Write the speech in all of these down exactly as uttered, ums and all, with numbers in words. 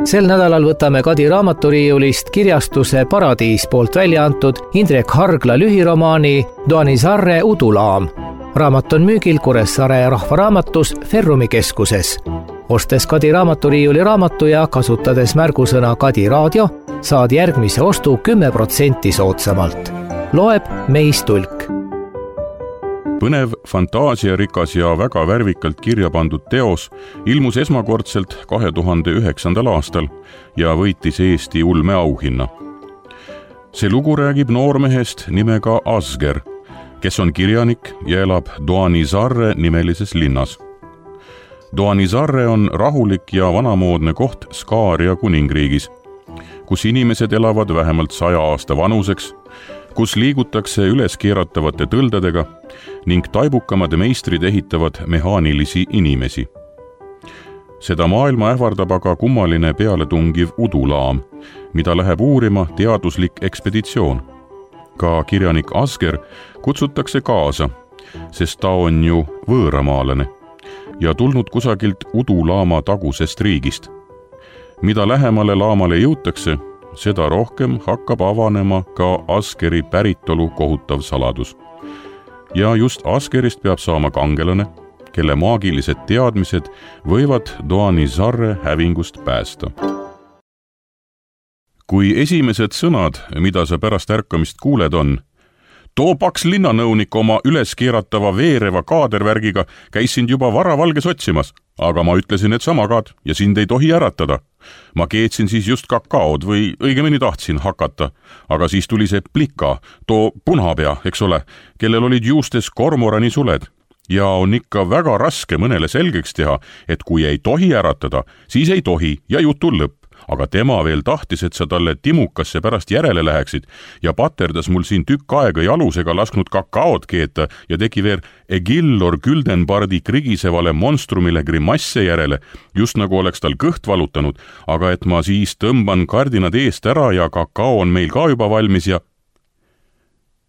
Sel nädalal võtame Kadi raamaturiiulist kirjastuse Paradiis poolt välja antud Indrek Hargla lühiromaani Doanizarre udulaam. Raamat on müügil Kuressaare rahvaraamatus Ferrumi keskuses. Ostes Kadi raamaturiiuli raamatu ja kasutades märgusõna Kadi raadio, saad järgmise ostu kümme protsenti soodsamalt. Loeb Meis Tulk. Põnev, fantaasiarikas ja väga värvikalt kirja pandud teos ilmus esmakordselt kahe tuhande üheksandal aastal ja võitis Eesti ulmeauhinna. See lugu räägib noormehest nimega Asger, kes on kirjanik ja elab Doanizarre nimelises linnas. Doanizarre on rahulik ja vanamoodne koht Skaaria kuningriigis, kus inimesed elavad vähemalt saja aasta vanuseks, kus liigutakse üles keeratavate tõldadega ning taibukamad meistrid ehitavad mehaanilisi inimesi. Seda maailma ähvardab aga kummaline pealetungiv udulaam, mida läheb uurima teaduslik ekspeditsioon. Ka kirjanik Asger kutsutakse kaasa, sest ta on ju võõramaalane ja tulnud kusagilt udulaama tagusest riigist. Mida lähemale laamale jõutakse, seda rohkem hakkab avanema ka Asgeri päritolu kohutav saladus. Ja just Asgerist peab saama kangelane, kelle maagilised teadmised võivad Doanizarre hävingust päästa. Kui esimesed sõnad, mida sa pärast ärkamist kuuled on: too paks linnanõunik oma üleskeeratava veereva kaadervärgiga käis sind juba varavalges otsimas, aga ma ütlesin, et sama kaad ja sind ei tohi äratada. Ma keetsin siis just kakaod või õigemini tahtsin hakata, aga siis tuli see plika, too punapea, eks ole, kellel olid juustes kormorani suled. Ja on ikka väga raske mõnele selgeks teha, et kui ei tohi äratada, siis ei tohi ja jutul lõpp. Aga tema veel tahtis, et sa talle timukasse pärast järele läheksid ja paterdas mul siin tükk aega jalusega lasknud kakaod keeta ja tegi veel Egillor Güldenbardi krigisevale monstrumile grimasse järele, just nagu oleks tal kõht valutanud, aga et ma siis tõmban kardinad eest ära ja kakao on meil ka juba valmis ja...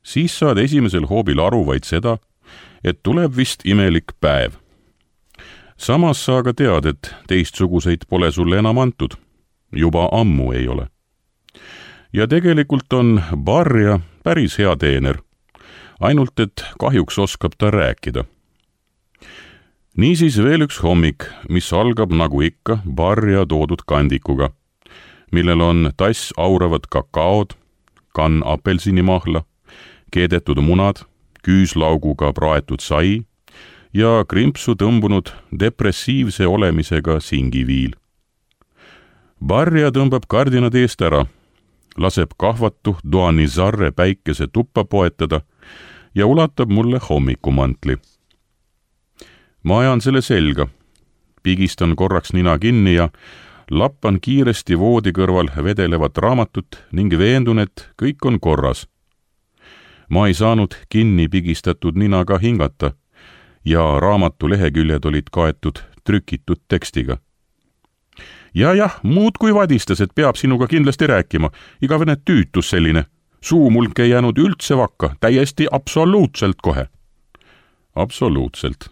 Siis saad esimesel hoobil aru vaid seda, et tuleb vist imelik päev. Samas sa aga tead, et teistsuguseid pole sulle enam antud. Juba ammu ei ole. Ja tegelikult on Barja päris hea teener, ainult et kahjuks oskab ta rääkida. Niisiis veel üks hommik, mis algab nagu ikka Barja toodud kandikuga, millel on tass auravad kakaod, kann apelsinimahla, keedetud munad, küüslauguga praetud sai ja krimpsu tõmbunud depressiivse olemisega singiviil. Barja tõmbab kardinad eest ära, laseb kahvatu Doanizarre päikese tuppa poetada ja ulatab mulle hommikumantli. Ma ajan selle selga, pigistan korraks nina kinni ja lappan kiiresti voodi kõrval vedelevat raamatut ning veendun, et kõik on korras. Ma ei saanud kinni pigistatud ninaga hingata ja raamatu leheküljed olid kaetud trükitud tekstiga. Ja jah, muud kui vadistas, et peab sinuga kindlasti rääkima. Igavene tüütus selline. Suumulk ei jäänud üldse vakka, täiesti absoluutselt kohe. Absoluutselt.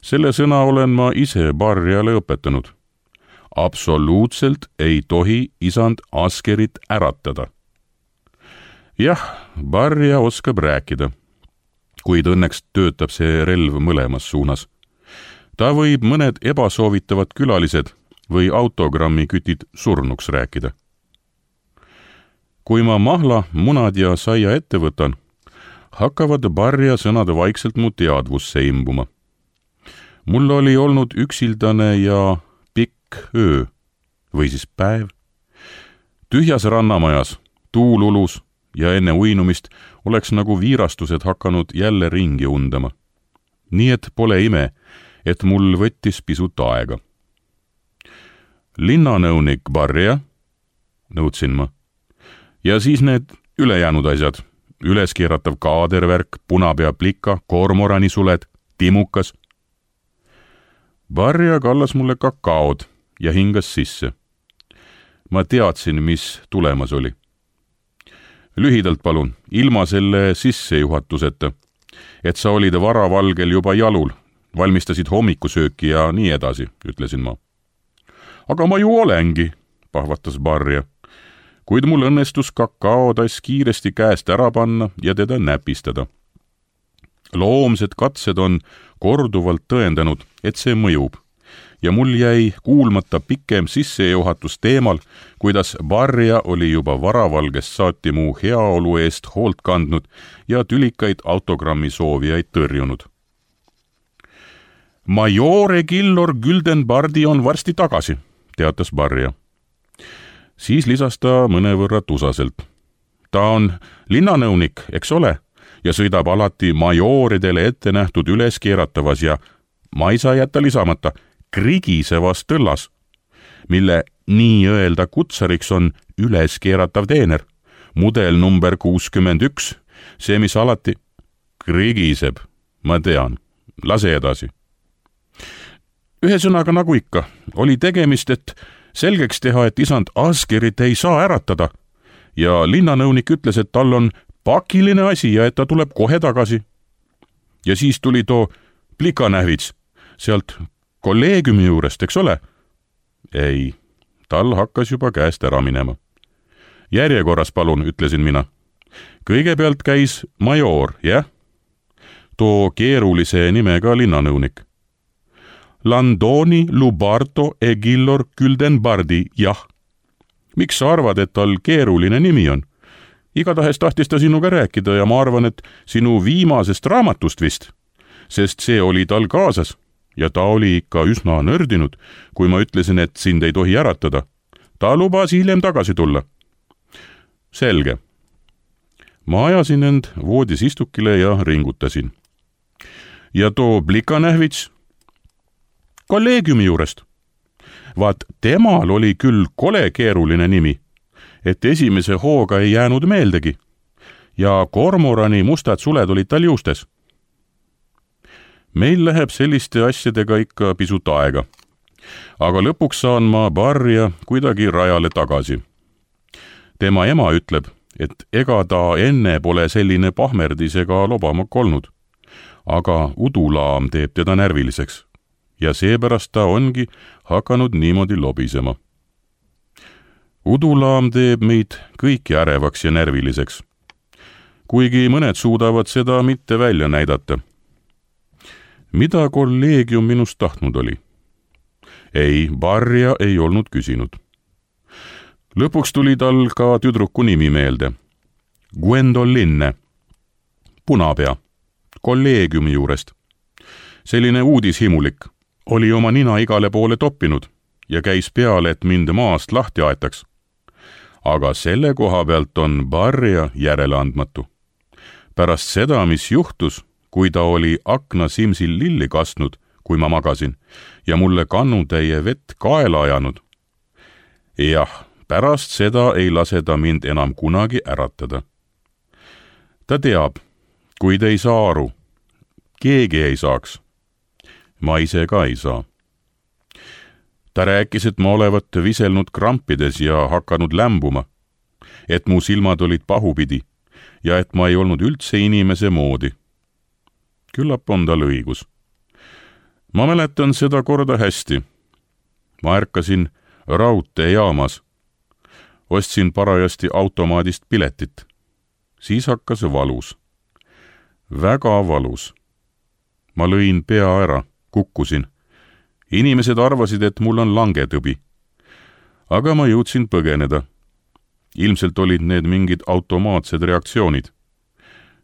Selle sõna olen ma ise Barjale õpetanud. Absoluutselt ei tohi isand Asgerit äratada. Jah, Barja oskab rääkida, kuid õnneks töötab see relv mõlemas suunas. Ta võib mõned ebasoovitavad külalised või autogrammi kütid surnuks rääkida. Kui ma mahla, munad ja saia ette võtan, hakkavad Barja sõnad vaikselt mu teadvusse imbuma. Mul oli olnud üksildane ja pikk öö, või siis päev. Tühjas rannamajas, tuul ulus ja enne uinumist oleks nagu viirastused hakanud jälle ringi undama. Nii et pole ime, et mul võttis pisut aega. Linnanõunik Barja, nõudsin ma. Ja siis need ülejäänud asjad, üleskeeratav kaadervärk, punapea plika, kormorani suled, timukas. Barja kallas mulle kakaod ja hingas sisse. Ma teadsin, mis tulemas oli. Lühidalt palun, ilma selle sissejuhatuseta, et sa olid varavalgel juba jalul, valmistasid hommikusööki ja nii edasi, ütlesin ma. aga ma ju olengi, pahvatas Barja, kuid mul õnnestus kakaotass kiiresti käest ära panna ja teda näpistada. Loomsed katsed on korduvalt tõendanud, et see mõjub ja mul jäi kuulmata pikem sissejuhatus teemal, kuidas Barja oli juba varavalgest saati mu heaolu eest hoolt kandnud ja tülikaid autogrammi soovijaid tõrjunud. Majore Gillor Güldenbardi on varsti tagasi, teatas Barja. Siis lisas ta mõnevõrra tusaselt. Ta on linnanõunik, eks ole, ja sõidab alati majoridele ette nähtud üleskeeratavas ja, ma ei saa jätta lisamata, krigisevas tõllas, mille nii-öelda kutsariks on üleskeeratav teener, mudel number kuuskümmend üks, see, mis alati krigiseb, ma tean, lase edasi. Ühesõnaga nagu ikka, oli tegemist, et selgeks teha, et isand Asgerit ei saa äratada ja linnanõunik ütles, et tal on pakiline asi ja et ta tuleb kohe tagasi. Ja siis tuli too plikanähvits sealt kolleegiumi juurest, eks ole? Ei, tal hakkas juba käest ära minema. Järjekorras palun, ütlesin mina. Kõigepealt käis major, jah? Too keerulise nimega linnanõunik. Landoni Lubardo e Gillor Güldenbardi, jah. Miks sa arvad, et tal keeruline nimi on? Igatahes tahtis ta sinuga rääkida ja ma arvan, et sinu viimasest raamatust vist, sest see oli tal kaasas. Ja ta oli ikka üsna nördinud, kui ma ütlesin, et sind ei tohi äratada. Ta lubas hiljem tagasi tulla. Selge. Ma ajasin end voodis istukile ja ringutasin. Ja too plikanähvits? Kolleegiumi juurest. Vaat temal oli küll kole keeruline nimi, et esimese hooga ei jäänud meeldegi. Ja kormorani mustad suled olid tal juustes. Meil läheb selliste asjadega ikka pisut aega, aga lõpuks saan ma Barja kuidagi rajale tagasi. Tema ema ütleb, et ega ta enne pole selline pahmerdis ega lobamak olnud, aga udulaam teeb teda närviliseks ja seepärast ta ongi hakanud niimoodi lobisema. Udulaam teeb meid kõiki ärevaks ja närviliseks, kuigi mõned suudavad seda mitte välja näidata. Mida kolleegium minust tahtnud oli? Ei, Barja ei olnud küsinud. Lõpuks tuli tal ka tüdruku nimi meelde. Gwendolinne, punapea, kolleegiumi juurest. Selline uudishimulik, oli oma nina igale poole toppinud ja käis peale, et mind maast lahti aetaks. Aga selle koha pealt on Barja järeleandmatu. Pärast seda, mis juhtus, kui ta oli akna simsil lilli kastnud, kui ma magasin, ja mulle kannutäie vett kaela ajanud. Jah, pärast seda ei lase ta mind enam kunagi äratada. Ta teab, kuid ei saa aru. Keegi ei saaks. Ma ise ka ei saa. Ta rääkis, et ma olevat viselnud krampides ja hakanud lämbuma, et mu silmad olid pahupidi ja et ma ei olnud üldse inimese moodi. Küllap on tal õigus. Ma mäletan seda korda hästi. Ma ärkasin raudteejaamas. Ostsin parajasti automaadist piletit. Siis hakkas valus. Väga valus. Ma lõin pea ära, kukkusin. Inimesed arvasid, et mul on langetõbi. Aga ma jõudsin põgeneda. Ilmselt olid need mingid automaatsed reaktsioonid.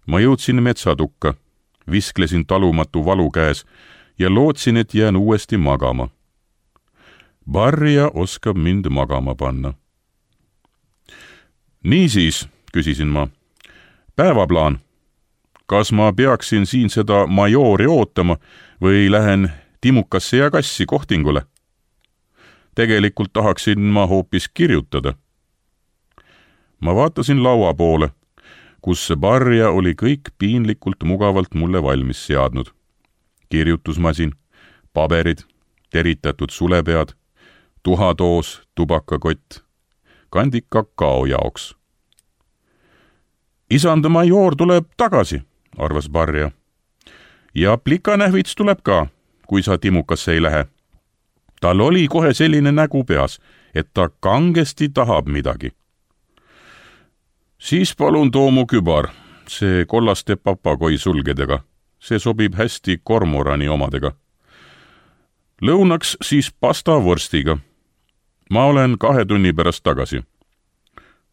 Ma jõudsin metsatukka. Visklesin talumatu valu käes ja lootsin, et jään uuesti magama. Barja oskab mind magama panna. Niisiis, küsisin ma, päevaplaan. Kas ma peaksin siin seda majori ootama või lähen Timukasse ja Kassi kohtingule? Tegelikult tahaksin ma hoopis kirjutada. Ma vaatasin laua poole, kus Barja oli kõik piinlikult mugavalt mulle valmis seadnud. Kirjutusmasin, paberid, teritatud sulepead, tuhatoos, tubakakott, kandik kakao jaoks. Isand major tuleb tagasi, arvas Barja. Ja plikanähvits tuleb ka, kui sa Timukasse ei lähe. tal oli kohe selline nägu peas, et ta kangesti tahab midagi. Siis palun too mu kübar, see kollaste papagoi sulgedega. See sobib hästi kormorani omadega. Lõunaks siis pasta vorstiga. Ma olen kahe tunni pärast tagasi.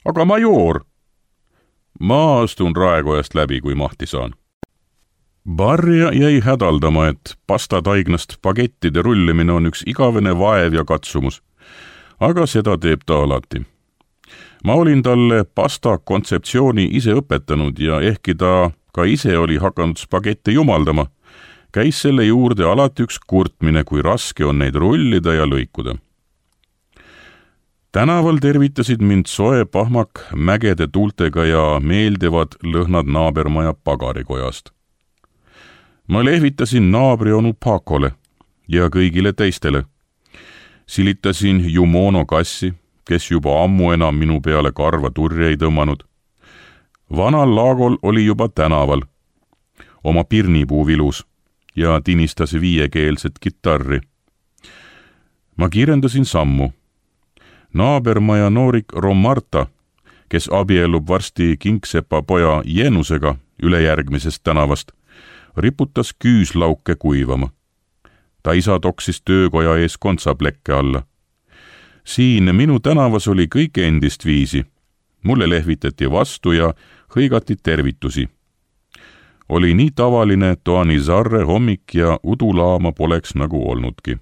Aga majoor! Ma astun raekojast läbi, kui mahti saan. Barja jäi hädaldama, et pastataignast pagettide rullimine on üks igavene vaev ja katsumus, aga seda teeb ta alati. Ma olin talle pasta kontseptsiooni ise õpetanud ja ehkki ta ka ise oli hakanud spagette jumaldama, käis selle juurde alati üks kurtmine, kui raske on neid rullida ja lõikuda. Tänaval tervitasid mind soe pahmak mägede tuultega ja meeldivad lõhnad naabermaja pagarikojast. Ma lehvitasin naabri onu Pakole ja kõigile teistele. Silitasin Jumono kassi, kes juba ammu enam minu peale karva turje ei tõmmanud. Vanal Laagol oli juba tänaval, oma pirnipuu vilus ja tinistas viiekeelset kitarri. Ma kiirendasin sammu. Naabermaja noorik Romarta, kes abiellub varsti Kingsepa poja Jenusega ülejärgmisest tänavast, riputas küüslauke kuivama. Ta isa toksis töökoja ees kontsaplekke alla. Siin minu tänavas oli kõik endist viisi. Mulle lehvitati vastu ja hõigati tervitusi. Oli nii tavaline, et Doanizarre hommik ja udulaama poleks nagu olnudki.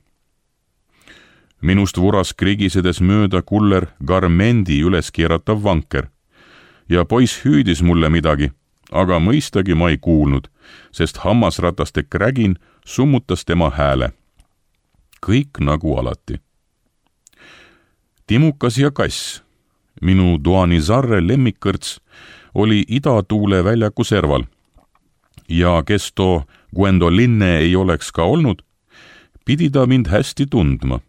Minust vuras krigisedes mööda kuller Garmendi üles keeratav vanker ja poiss hüüdis mulle midagi, aga mõistagi ma ei kuulnud, sest hammasrataste krägin summutas tema hääle. Kõik nagu alati. Timukas ja kass, minu Doanizarre lemmikkõrts, oli idatuule väljaku serval ja kes too Gwendolinne ei oleks ka olnud, pidi ta mind hästi tundma.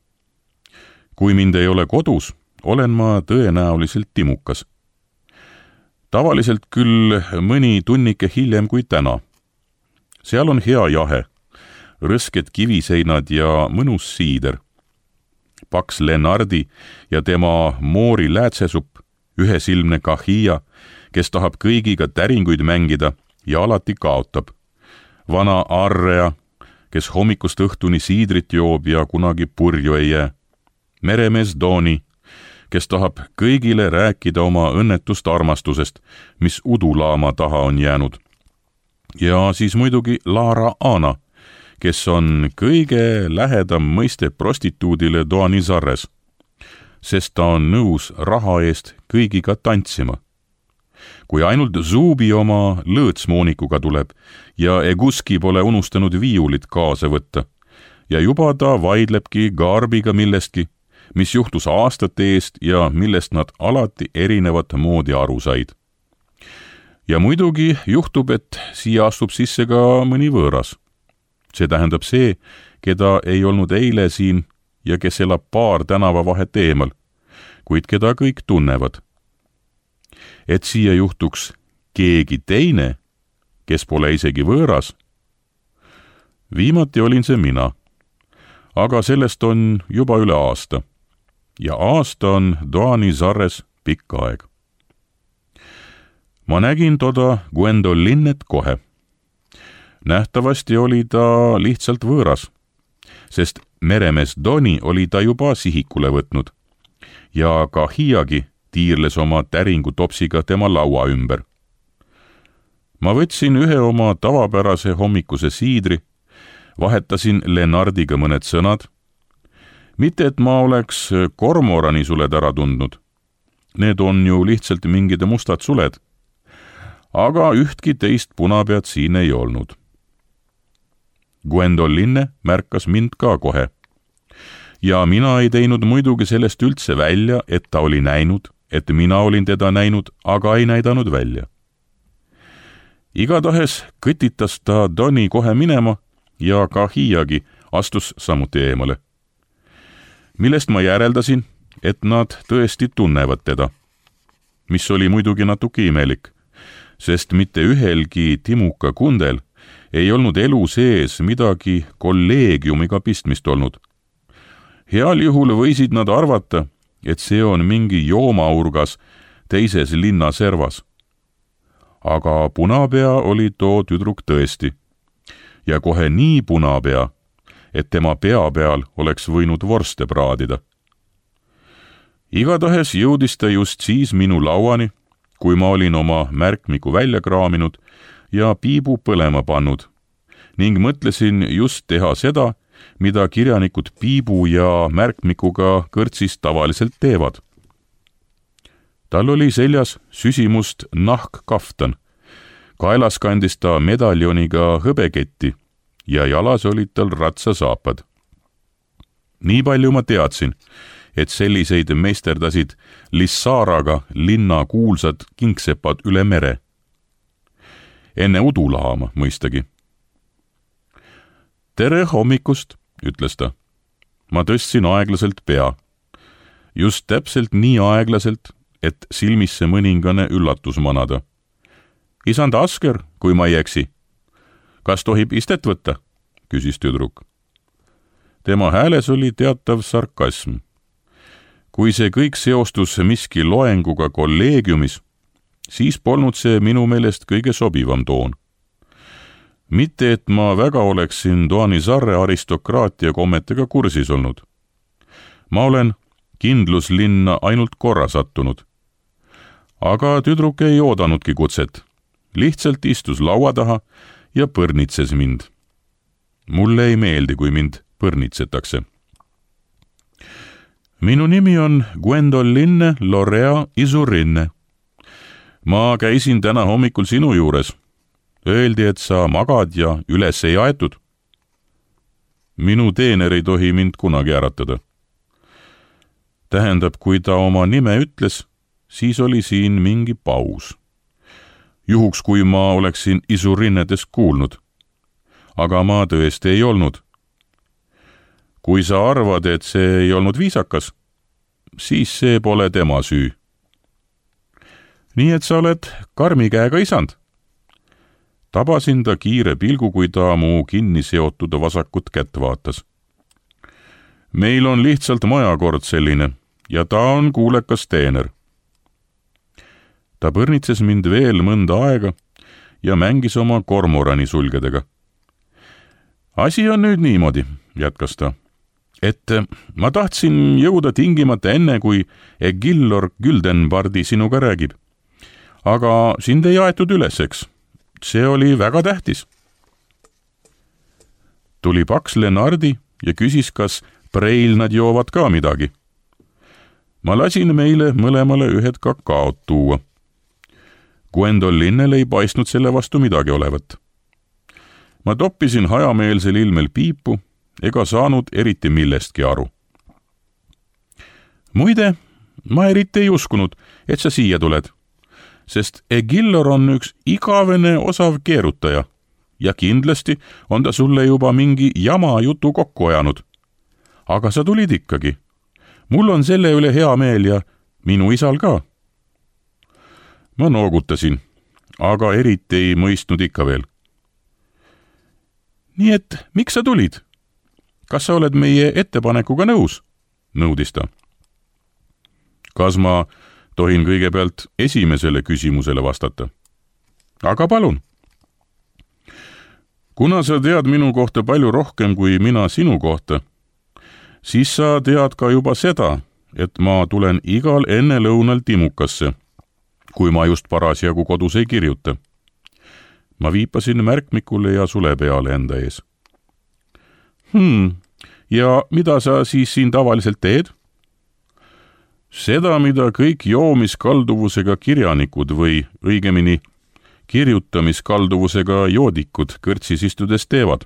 Kui mind ei ole kodus, olen ma tõenäoliselt timukas. Tavaliselt küll mõni tunnike hiljem kui täna. Seal on hea jahe, rõsked kiviseinad ja mõnus siider. Paks Lenardi ja tema moori läätsesupp, ühesilmne kahia, kes tahab kõigiga täringuid mängida ja alati kaotab. Vana Arrea, kes hommikust õhtuni siidrit joob ja kunagi purju ei jää. Meremees Doni, kes tahab kõigile rääkida oma õnnetust armastusest, mis udulaama taha on jäänud. Ja siis muidugi Lara Ana, kes on kõige lähedam mõiste prostituudile Doanizarres, sest ta on nõus raha eest kõigiga tantsima. Kui ainult Zubi oma lõõtsmoonikuga tuleb ja Eguski pole unustanud viiulit kaasa võtta ja juba ta vaidlebki Garbiga millestki, mis juhtus aastate eest ja millest nad alati erinevat moodi aru said. Ja muidugi juhtub, et siia astub sisse ka mõni võõras. See tähendab see, keda ei olnud eile siin ja kes elab paar tänava vahet eemal, kuid keda kõik tunnevad. Et siia juhtuks keegi teine, kes pole isegi võõras. Viimati olin see mina, aga sellest on juba üle aasta. Ja aasta on Doanizarres pikk aeg. Ma nägin toda Gwendolinnet kohe. Nähtavasti oli ta lihtsalt võõras, sest meremees Doni oli ta juba sihikule võtnud ja ka Hiiagi tiirles oma täringu topsiga tema laua ümber. Ma võtsin ühe oma tavapärase hommikuse siidri, vahetasin Lenardiga mõned sõnad. Mitte, et ma oleks kormorani suled ära tundnud. Need on ju lihtsalt mingid mustad suled. Aga ühtki teist punapead siin ei olnud. Gwendolinne märkas mind ka kohe. Ja mina ei teinud muidugi sellest üldse välja, et ta oli näinud, et mina olin teda näinud, aga ei näidanud välja. Igatahes kõtitas ta Doni kohe minema ja ka Hiiagi astus samuti eemale. Millest ma järeldasin, et nad tõesti tunnevad teda, mis oli muidugi natuke imelik, sest mitte ühelgi timuka kundel ei olnud elu sees midagi kolleegiumiga pistmist olnud. heal juhul võisid nad arvata, et see on mingi joomaurgas teises linna servas. Aga punapea oli too tüdruk tõesti. Ja kohe nii punapea, et tema pea peal oleks võinud vorste praadida. Igatahes jõudis ta just siis minu lauani, kui ma olin oma märkmiku välja kraaminud ja piibu põlema pannud ning mõtlesin just teha seda, mida kirjanikud piibu ja märkmikuga kõrtsis tavaliselt teevad. Tal oli seljas süsimust nahkkaftan, kaelas kandis ta medaljoniga hõbeketti ja jalas olid tal ratsasaapad. Nii palju ma teadsin, et selliseid meisterdasid Lissaraga linna kuulsad kingsepad üle mere. Enne udulaama mõistagi. Tere hommikust, ütles ta. Ma tõstsin aeglaselt pea. Just täpselt nii aeglaselt, et silmisse mõningane üllatus manada. Isand Asker, kui ma ei eksi. Kas tohib istet võtta? Küsis tüdruk. Tema hääles oli teatav sarkasm. Kui see kõik seostus miski loenguga kolleegiumis, siis polnud see minu meelest kõige sobivam toon. Mitte, et ma väga oleksin Doanizarre aristokraatia kommetega kursis olnud. Ma olen kindluslinna ainult korra sattunud. Aga tüdruk ei oodanudki kutset. Lihtsalt istus laua taha ja põrnitses mind. Mulle ei meeldi, kui mind põrnitsetakse. Minu nimi on Gwendoline Lorea Isurinne. Ma käisin täna hommikul sinu juures. Öeldi, et sa magad ja üles ei aetud. Minu teener ei tohi mind kunagi äratada. Tähendab, kui ta oma nime ütles, siis oli siin mingi paus. Juhuks, kui ma oleksin Isurinnedes kuulnud. Aga ma tõesti ei olnud. Kui sa arvad, et see ei olnud viisakas, siis see pole tema süü. Nii et sa oled karmi käega isand. Tabasin ta kiire pilgu, kui ta mu kinni seotud vasakut kätt vaatas. Meil on lihtsalt majakord selline ja ta on kuulekas teener. Ta põrnitses mind veel mõnda aega ja mängis oma kormorani sulgedega. Asi on nüüd niimoodi, jätkas ta, et ma tahtsin jõuda tingimata enne, kui Egillor Güldenbardi sinuga räägib. Aga sind ei aetud üles, eks? See oli väga tähtis. Tuli paks Lenardi ja küsis, kas preil nad joovad ka midagi. Ma lasin meile mõlemale ühed kakaot tuua. Gwendolinnel ei paistnud selle vastu midagi olevat. Ma toppisin hajameelsel ilmel piipu ega saanud eriti millestki aru. Muide, ma eriti ei uskunud, et sa siia tuled, sest Egillor on üks igavene osav keerutaja ja kindlasti on ta sulle juba mingi jama jutu kokku ajanud. Aga sa tulid ikkagi. Mul on selle üle hea meel ja minu isal ka. Ma noogutasin, aga eriti ei mõistnud ikka veel. Nii et, miks sa tulid? Kas sa oled meie ettepanekuga nõus? Nõudis ta. Kas ma tohin kõigepealt esimesele küsimusele vastata? Aga palun. Kuna sa tead minu kohta palju rohkem kui mina sinu kohta, siis sa tead ka juba seda, et ma tulen igal ennelõunal Timukasse, kui ma just parasjagu kodus ei kirjuta. Ma viipasin märkmikule ja sule peale enda ees. Hmm, ja mida sa siis siin tavaliselt teed? Seda, mida kõik joomiskalduvusega kirjanikud või õigemini kirjutamiskalduvusega joodikud kõrtsis istudes teevad.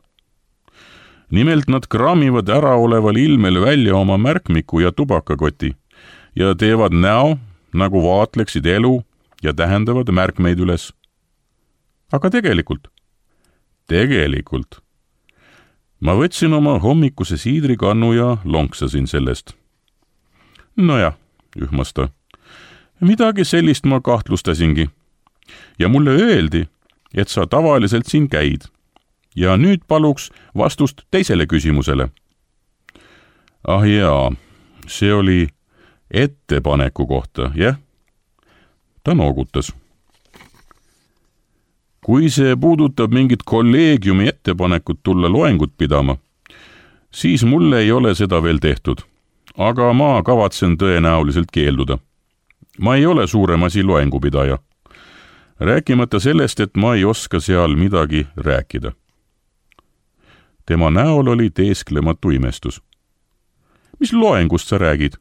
Nimelt nad kraamivad äraoleval ilmel välja oma märkmiku ja tubakakoti ja teevad näo, nagu vaatleksid elu ja tähendavad märkmeid üles. Aga tegelikult, tegelikult, ma võtsin oma hommikuse siidrikannu ja lonksasin sellest. Nojah, ühmas ta, midagi sellist ma kahtlustasingi. Ja mulle öeldi, et sa tavaliselt siin käid. Ja nüüd paluks vastust teisele küsimusele. Ah jaa, see oli ettepaneku kohta, jah? Ta noogutas. Kui see puudutab mingit kolleegiumi ettepanekut tulla loengut pidama, siis mulle ei ole seda veel tehtud, aga ma kavatsen tõenäoliselt keelduda. Ma ei ole suurem asi loengupidaja. Rääkimata sellest, et ma ei oska seal midagi rääkida. Tema näol oli teesklematu imestus. Mis loengust sa räägid?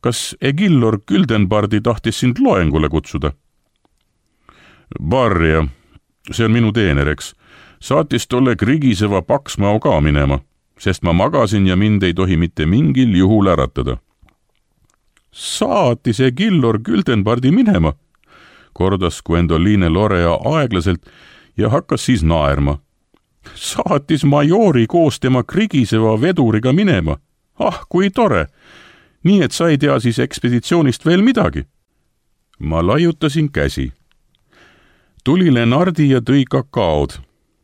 Kas Egillor Güldenbardi tahtis sind loengule kutsuda? Barja, see on minu teener, eks, saatis tolle krigiseva Paksmao ka minema, sest ma magasin ja mind ei tohi mitte mingil juhul äratada. Saatis Egillor Güldenbardi minema, kordas Gwendoline Lorea aeglaselt ja hakkas siis naerma. Saatis majori koos tema krigiseva veduriga minema. Ah, kui tore! Nii et sa ei tea siis ekspeditsioonist veel midagi. Ma laiutasin käsi. Tuli Lenardi ja tõi kakaod.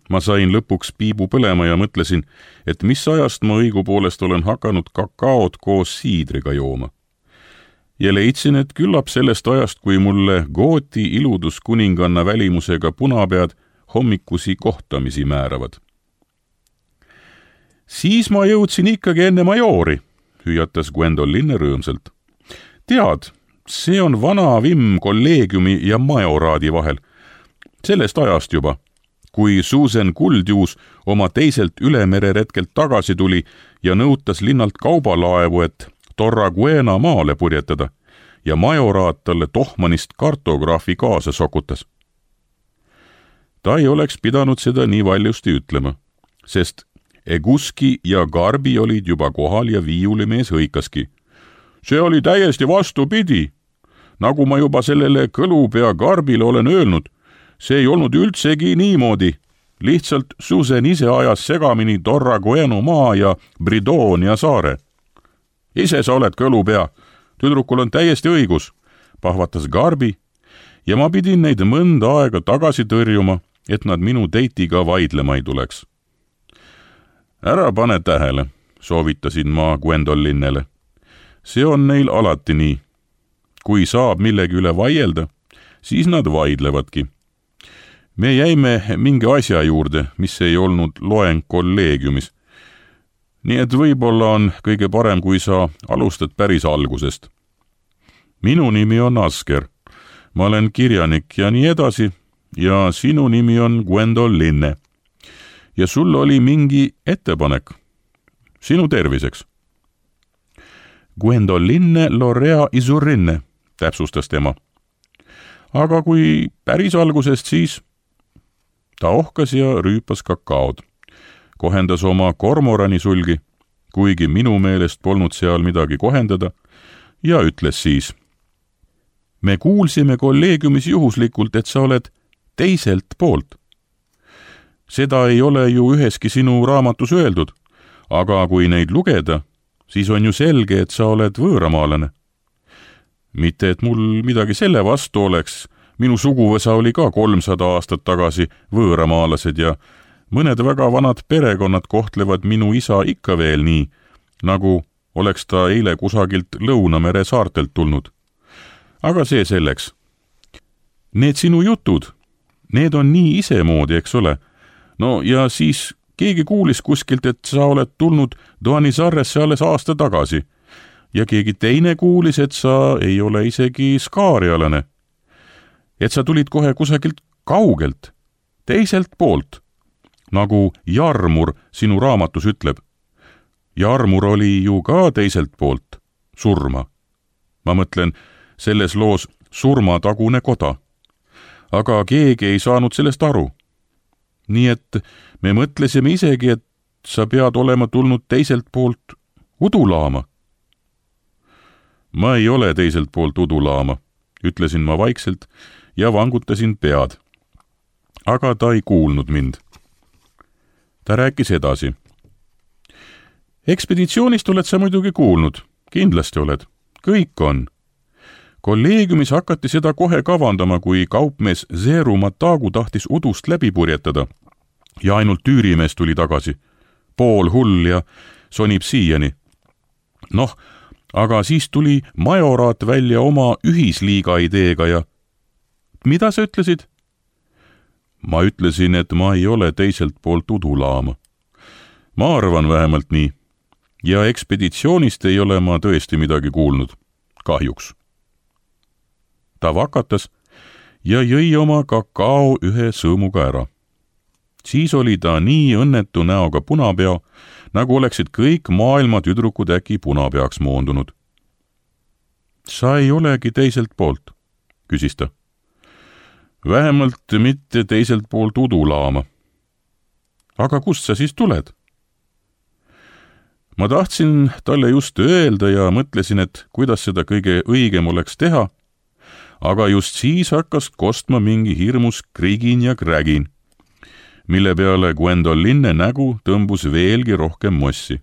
Ma sain lõpuks piibu põlema ja mõtlesin, et mis ajast ma õigupoolest olen hakanud kakaod koos siidriga jooma. Ja leidsin, et küllap sellest ajast, kui mulle Gooti iluduskuninganna välimusega punapead hommikusi kohtamisi määravad. Siis ma jõudsin ikkagi enne majori, hüüatas Gwendoline rõõmsalt. Tead, see on vana vimm kolleegiumi ja majoraadi vahel. Sellest ajast juba, kui Susan Kuldjuus oma teiselt ülemereretkelt tagasi tuli ja nõutas linnalt kaubalaevu, et Torraguena maale purjetada ja majoraat talle tohmanist kartograafi kaasa sokutas. Ta ei oleks pidanud seda nii valjusti ütlema, sest Eguski ja Garbi olid juba kohal ja viiulimees hõikaski. See oli täiesti vastupidi. Nagu ma juba sellele kõlupea Garbile olen öelnud, see ei olnud üldsegi niimoodi. Lihtsalt Susan ise ajas segamini Torragueno maa ja Bridonia saare. Ise sa oled kõlupea. Tüdrukul on täiesti õigus, pahvatas Garbi, ja ma pidin neid mõnda aega tagasi tõrjuma, et nad minu deitiga vaidlema ei tuleks. Ära pane tähele, soovitasin ma Gwendolinele. See on neil alati nii. Kui saab millegi üle vaielda, siis nad vaidlevadki. Me jäime mingi asja juurde, mis ei olnud loeng kolleegiumis. Nii et võib-olla on kõige parem, kui sa alustad päris algusest. Minu nimi on Asker. Ma olen kirjanik ja nii edasi ja sinu nimi on Gwendoline. Ja sul oli mingi ettepanek. Sinu terviseks. Gwendoline Lorea Isurrinne, täpsustas tema. Aga kui päris algusest, siis ta ohkas ja rüüpas kakaod. Kohendas oma kormorani sulgi, kuigi minu meelest polnud seal midagi kohendada, ja ütles siis. Me kuulsime kolleegiumis juhuslikult, et sa oled teiselt poolt. Seda ei ole ju üheski sinu raamatus öeldud, aga kui neid lugeda, siis on ju selge, et sa oled võõramaalane. Mitte, et mul midagi selle vastu oleks, minu suguvõsa oli ka kolmsada aastat tagasi võõramaalased ja mõned väga vanad perekonnad kohtlevad minu isa ikka veel nii, nagu oleks ta eile kusagilt Lõunamere saartelt tulnud. Aga see selleks. Need sinu jutud, need on nii isemoodi, eks ole. No ja siis keegi kuulis kuskilt, et sa oled tulnud Duanizarresse alles aasta tagasi ja keegi teine kuulis, et sa ei ole isegi skaarialane. Et sa tulid kohe kusagilt kaugelt, teiselt poolt, nagu Jarmur sinu raamatus ütleb. Jarmur oli ju ka teiselt poolt, surma. Ma mõtlen, selles loos surmatagune koda. Aga keegi ei saanud sellest aru. Nii et me mõtlesime isegi, et sa pead olema tulnud teiselt poolt udulaama. Ma ei ole teiselt poolt udulaama, ütlesin ma vaikselt ja vangutasin pead. Aga ta ei kuulnud mind. Ta rääkis edasi. Ekspeditsioonist oled sa muidugi kuulnud, kindlasti oled. Kõik on. Kolleegiumis hakati seda kohe kavandama, kui kaupmees Zeru Matagu tahtis udust läbi purjetada ja ainult tüürimees tuli tagasi. Pool hull ja sonib siiani. Noh, aga siis tuli majoraat välja oma ühisliiga ideega ja mida sa ütlesid? Ma ütlesin, et ma ei ole teiselt poolt udulaama. Ma arvan vähemalt nii. Ja ekspeditsioonist ei ole ma tõesti midagi kuulnud. Kahjuks. Ta vakatas ja jõi oma kakao ühe sõõmuga ära. Siis oli ta nii õnnetu näoga punapea, nagu oleksid kõik maailma tüdrukud äkki punapeaks moondunud. Sa ei olegi teiselt poolt, küsis ta. Vähemalt mitte teiselt poolt udulaama. Aga kust sa siis tuled? Ma tahtsin talle just öelda ja mõtlesin, et kuidas seda kõige õigem oleks teha, aga just siis hakkas kostma mingi hirmus krigin ja krägin, mille peale Gwendolynne nägu tõmbus veelgi rohkem mossi.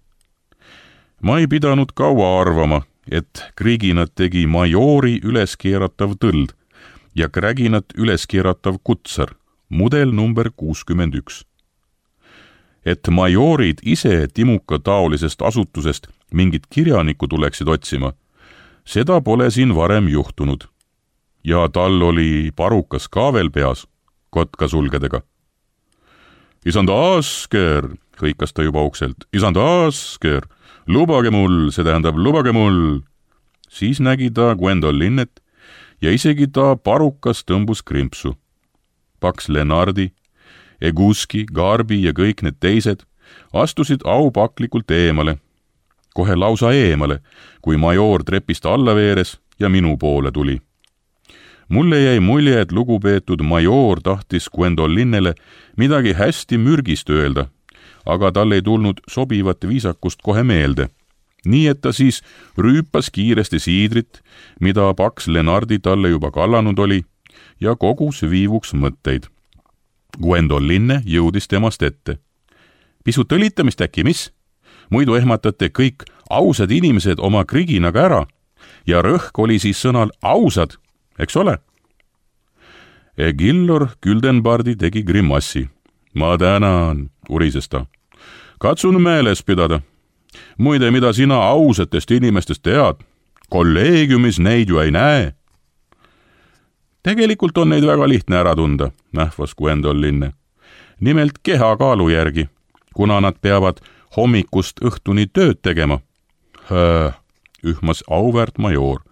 Ma ei pidanud kaua arvama, et kriginat tegi majoori üleskeeratav tõld ja kräginat üleskeeratav kutsar, mudel number kuuskümmend üks. Et majoorid ise Timuka taolisest asutusest mingit kirjanikku tuleksid otsima, seda pole siin varem juhtunud. Ja tal oli parukas ka veel peas, kotkasulgedega. Isand Asker, hõikas ta juba ukselt, isand Asker, lubage mul, see tähendab lubage mul. Siis nägi ta Gwendolynnet ja isegi ta parukas tõmbus krimpsu. Paks Lenardi, Eguski, Garbi ja kõik need teised astusid aupaklikult eemale, kohe lausa eemale, kui majoor trepist alla veeres ja minu poole tuli. Mulle jäi mulje, et lugupeetud majoor tahtis Gwendolynnele midagi hästi mürgist öelda, aga tal ei tulnud sobivat viisakust kohe meelde. Nii et ta siis rüüpas kiiresti siidrit, mida Paks Lenardi talle juba kallanud oli, ja kogus viivuks mõtteid. Gwendolynne jõudis temast ette. Pisut õlitamist äkki, mis? Muidu ehmatate kõik ausad inimesed oma kriginaga ära ja rõhk oli siis sõnal ausad, eks ole? Egillor Gyldenbardi tegi grimassi. Ma tänan, urises ta. Katsun meeles pidada. Muide, mida sina ausatest inimestest tead? Kolleegiumis neid ju ei näe. Tegelikult on neid väga lihtne ära tunda, nähvas Gwendolynne. Nimelt kehakaalu järgi, kuna nad peavad hommikust õhtuni tööd tegema. Höö, ühmas auväärt majoor.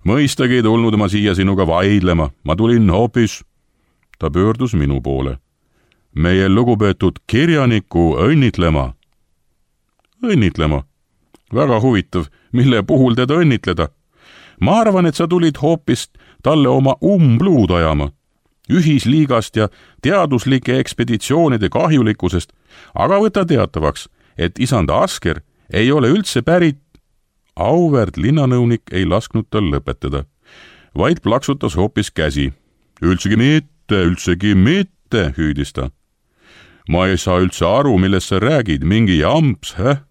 Mõistagi ei tulnud ma siia sinuga vaidlema, ma tulin hoopis. Ta pöördus minu poole. Meie lugupeetud kirjaniku õnnitlema. Õnnitlema. Väga huvitav, mille puhul teda õnnitleda. Ma arvan, et sa tulid hoopis talle oma umbluud ajama, ühisliigast ja teaduslike ekspeditsioonide kahjulikkusest, aga võta teatavaks, et isand Asker ei ole üldse pärit. Auväärt linnanõunik ei lasknud tal lõpetada, vaid plaksutas hoopis käsi. Üldsegi mitte, üldsegi mitte, hüüdis ta. Ma ei saa üldse aru, millest sa räägid, mingi jamps, häh?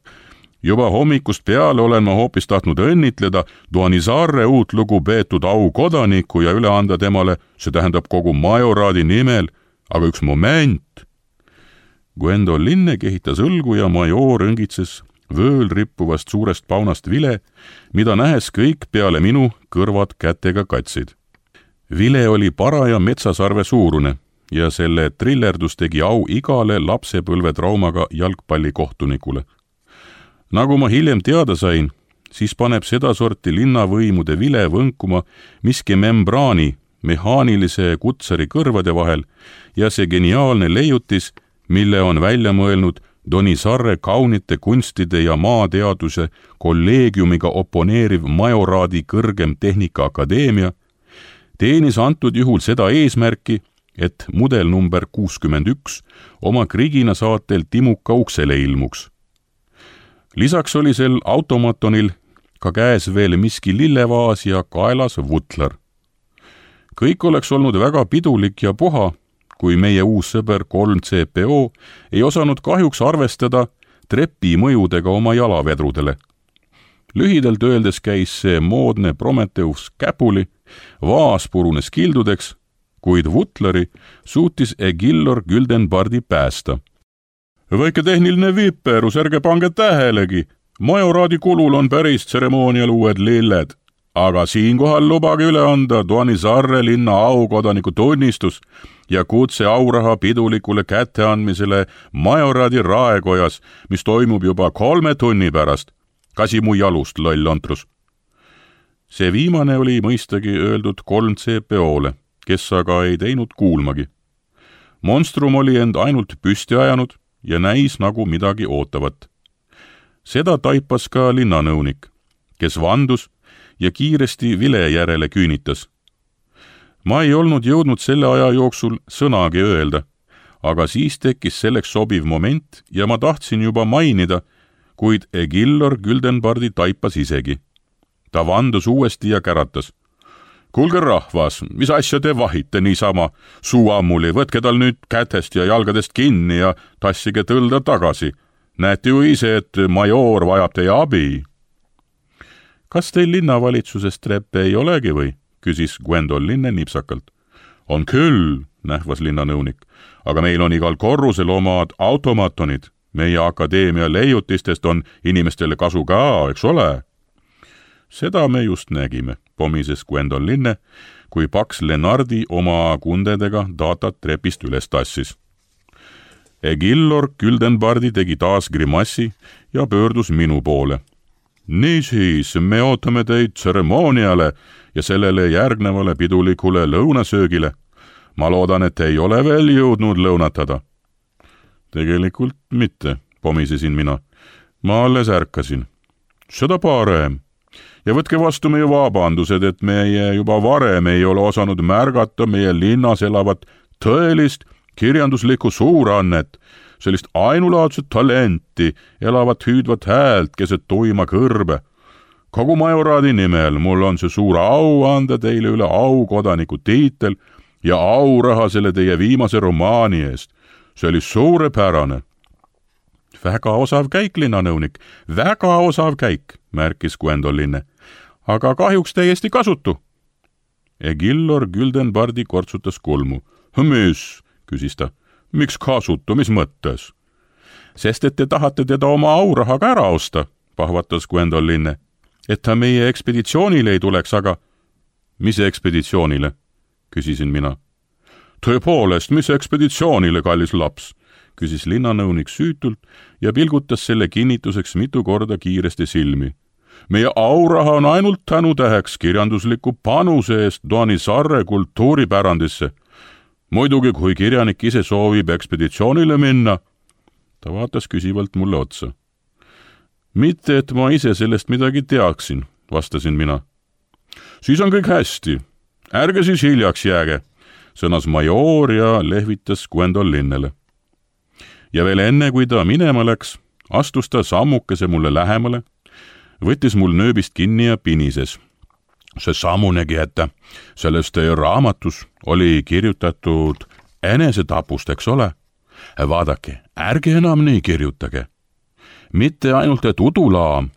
Juba hommikust peale olen ma hoopis tahtnud õnnitleda Duanizarre uut lugupeetud aukodanikku ja üle anda temale, see tähendab kogu majoraadi nimel, aga üks moment. Gwendolynne kehitas õlgu ja majoor õngitses vööl rippuvast suurest paunast vile, mida nähes kõik peale minu kõrvad kätega katsid. Vile oli paraja metsasarve suurune ja selle trillerdus tegi au igale lapsepõlvetraumaga jalgpallikohtunikule. Nagu ma hiljem teada sain, siis paneb sedasorti linnavõimude vile võnkuma miski membraani mehaanilise kutsari kõrvade vahel ja see geniaalne leiutis, mille on välja mõelnud Duanizarre kaunite kunstide ja maateaduse kolleegiumiga oponeeriv majoraadi kõrgem tehnikaakadeemia, teenis antud juhul seda eesmärki, et mudel number kuuskümmend üks oma krigina saatel Timuka uksele ilmuks. Lisaks oli sel automatonil ka käes veel miski lillevaas ja kaelas vutlar. Kõik oleks olnud väga pidulik ja puha, kui meie uus sõber kolm C P O ei osanud kahjuks arvestada trepi mõjudega oma jalavedrudele. Lühidalt öeldes käis see moodne Prometheus käpuli, vaas purunes kildudeks, kuid vutlari suutis Egillor Gyldenbardi päästa. Väike tehniline viperus, ärge pange tähelegi, majoraadi kulul on päris tseremoonial uued lilled, aga siinkohal lubage üle anda Duanisaarre linna aukodaniku tunnistus ja kutse auraha pidulikule kätteandmisele majoraadi raekojas, mis toimub juba kolme tunni pärast. Kasi mu jalust, loll ontrus. See viimane oli mõistagi öeldud kolm C P O-le, kes aga ei teinud kuulmagi. Monstrum oli end ainult püsti ajanud ja näis nagu midagi ootavat. Seda taipas ka linnanõunik, kes vandus ja kiiresti vile järele küünitas. Ma ei olnud jõudnud selle aja jooksul sõnagi öelda, aga siis tekkis selleks sobiv moment ja ma tahtsin juba mainida, kuid Egillor Güldenbardi taipas isegi. Ta vandus uuesti ja käratas. Kuulge rahvas, mis asja te vahite niisama? Suu ammuli, võtke tal nüüd kätest ja jalgadest kinni ja tassige tõlda tagasi. Näete ju ise, et majoor vajab teie abi. Kas teil linnavalitsusest treppe ei olegi või? Küsis Gwendol Linne nipsakalt. On küll, nähvas linnanõunik, aga meil on igal korrusel omad automatonid. Meie akadeemia leiutistest on inimestele kasu ka, eks ole? Seda me just nägime, pomises Gwendol Linne, kui paks Lennardi oma kundedega datat trepist üles tassis. Egillor Güldenbardi tegi taas grimassi ja pöördus minu poole. Niisiis, me ootame teid tseremooniale ja sellele järgnevale pidulikule lõunasöögile. Ma loodan, et ei ole veel jõudnud lõunatada. Tegelikult mitte, pomisesin mina. Ma alles ärkasin. Seda parem. Ja võtke vastu meie vabandused, et meie juba varem ei ole osanud märgata meie linnas elavat tõelist kirjanduslikku suurannet, sellist ainulaadset talenti, elavat hüüdvat häält keset tuima kõrbe. Kogu majoraadi nimel mul on see suur au anda teile üle aukodaniku tiitel ja auraha selle teie viimase romaani eest. See oli suurepärane. Väga osav käik, linnanõunik, väga osav käik, märkis Gwendol Linne, aga kahjuks täiesti kasutu. Egillor Güldenbardi kortsutas kulmu. Mis? Küsis ta. Miks kasutu, mis mõttes? Sest et te tahate teda oma aurahaga ära osta, pahvatas Gwendol Linne, et ta meie ekspeditsioonile ei tuleks, aga... Mis ekspeditsioonile? Küsisin mina. Tõepoolest, mis ekspeditsioonile, kallis laps? Küsis linnanõunik süütult ja pilgutas selle kinnituseks mitu korda kiiresti silmi. Meie auraha on ainult tänutäheks kirjandusliku panuse eest Duanisaarre kultuuripärandisse. Muidugi, kui kirjanik ise soovib ekspeditsioonile minna, ta vaatas küsivalt mulle otsa. Mitte, et ma ise sellest midagi teaksin, vastasin mina. Siis on kõik hästi. Ärge siis hiljaks jääge, sõnas majoor ja lehvitas Gwendol Linnele. Ja veel enne, kui ta minema läks, astus ta sammukese mulle lähemale, võttis mul nööbist kinni ja pinises. See sammunegi, et selles teie raamatus oli kirjutatud enesetapust, eks ole? Vaadake, ärge enam nii kirjutage. Mitte ainult, et udulaam,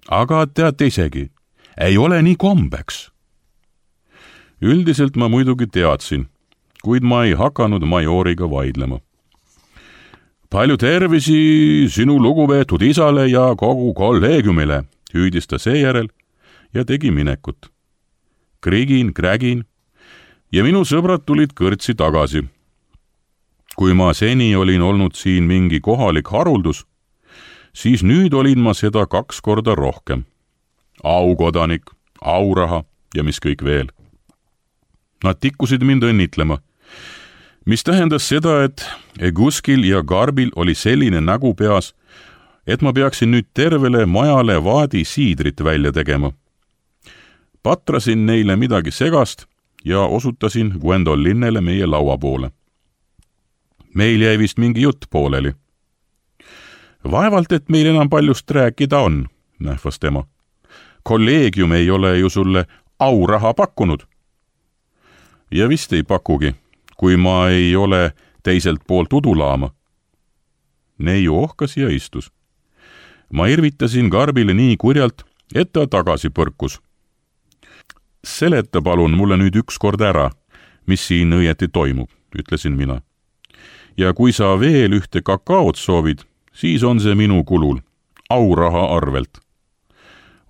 aga teate isegi, ei ole nii kombeks. Üldiselt ma muidugi teadsin, kuid ma ei hakanud majooriga vaidlema. Palju tervisi sinu lugupeetud isale ja kogu kolleegiumile, hüüdis ta seejärel ja tegi minekut. Krigin, krägin ja minu sõbrad tulid kõrtsi tagasi. Kui ma seni olin olnud siin mingi kohalik haruldus, siis nüüd olin ma seda kaks korda rohkem. Aukodanik, auraha ja mis kõik veel. Nad tikkusid mind õnnitlema, mis tähendas seda, et Eguskil ja Garbil oli selline nägu peas, et ma peaksin nüüd tervele majale vaadi siidrit välja tegema. Patrasin neile midagi segast ja osutasin Gwendol Linnele meie laua poole. Meil jäi vist mingi jutt pooleli. Vaevalt, et meil enam paljust rääkida on, nähvas tema. Kolleegium ei ole ju sulle auraha pakkunud. Ja vist ei pakugi, kui ma ei ole teiselt poolt udulaama. Neiu ohkas ja istus. Ma irvitasin Garbile nii kurjalt, et ta tagasi põrkus. Seleta palun mulle nüüd üks kord ära, mis siin õieti toimub, ütlesin mina. Ja kui sa veel ühte kakaot soovid, siis on see minu kulul. auraha arvelt.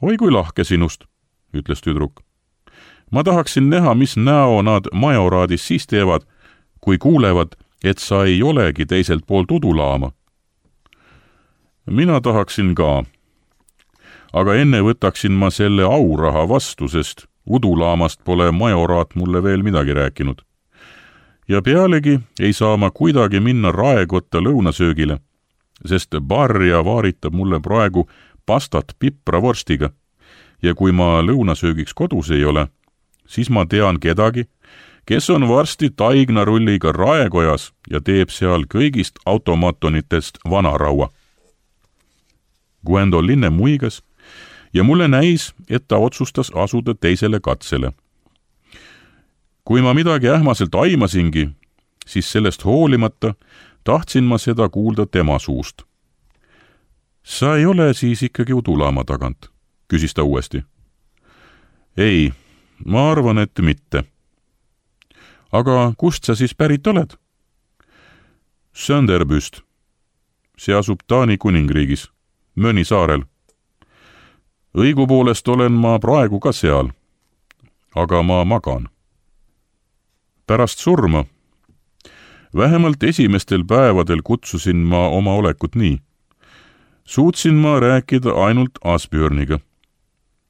Oi kui lahke sinust, ütles tüdruk. Ma tahaksin näha, mis näo nad majoraadis siis teevad, kui kuulevad, et sa ei olegi teiselt poolt udulaama. Mina tahaksin ka. Aga enne võtaksin ma selle auraha vastu, sest udulaamast pole majoraat mulle veel midagi rääkinud. Ja pealegi ei saa ma kuidagi minna raekotta lõunasöögile, sest barja vaaritab mulle praegu pastat pipravorstiga ja kui ma lõunasöögiks kodus ei ole, siis ma tean kedagi, kes on varsti taignarulliga raekojas ja teeb seal kõigist automatonitest vanaraua. Gwendoline muigas ja mulle näis, et ta otsustas asuda teisele katsele. Kui ma midagi ähmaselt aimasingi, siis sellest hoolimata tahtsin ma seda kuulda tema suust. Sa ei ole siis ikkagi udulaama tagant, küsis ta uuesti. Ei, ma arvan, et mitte. Aga kust sa siis pärit oled? Sönderbüst. See asub Taani kuningriigis, Möni saarel. Õigupoolest olen ma praegu ka seal, aga ma magan. Pärast surma. Vähemalt esimestel päevadel kutsusin ma oma olekut nii. Suutsin ma rääkida ainult Asbjörniga.